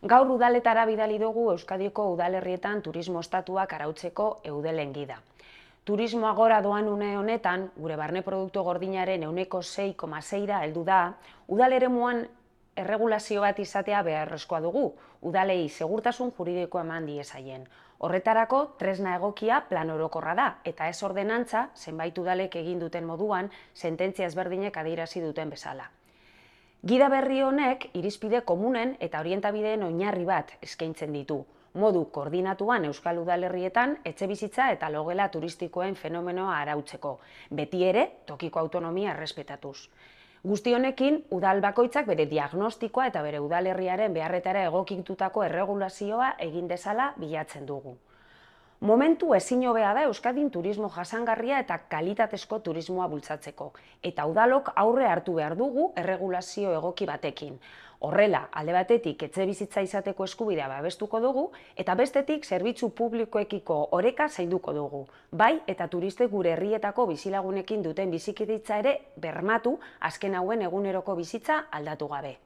Gaur udaletara bidali dugu Euskadiko udalerrietan turismo estatuak arautzeko eudelen gida. Turismoa gora doan une honetan, gure barne produktu gordinaren ehuneko 6,6ra heldu da, udal eremuan erregulazio bat izatea beharrezkoa dugu, udalei segurtasun juridikoa eman diezaien. Horretarako, tresna egokia plan orokorra da, eta ez ordenantza, zenbait udalek egin duten moduan, sententzia ezberdinek adierazi duten bezala. Gida berri honek irizpide komunen eta orientabideen oinarri bat eskaintzen ditu. Modu koordinatuan Euskal Udalerrietan etxebizitza eta logela turistikoen fenomenoa arautzeko, beti ere tokiko autonomia errespetatuz. Guzti honekin, udal bakoitzak bere diagnostikoa eta bere udalerriaren beharretara egokitutako erregulazioa egin dezala bilatzen dugu. Momentu ezin hobea da Euskadin turismo jasangarria eta kalitatezko turismoa bultzatzeko, eta udalok aurre hartu behar dugu erregulazio egoki batekin. Horrela, alde batetik etxebizitza izateko eskubidea babestuko dugu, eta bestetik zerbitzu publikoekiko oreka zainduko dugu. Bai, eta turistek gure herrietako bizilagunekin duten bizikidetza ere bermatu azken hauen eguneroko bizitza aldatu gabe.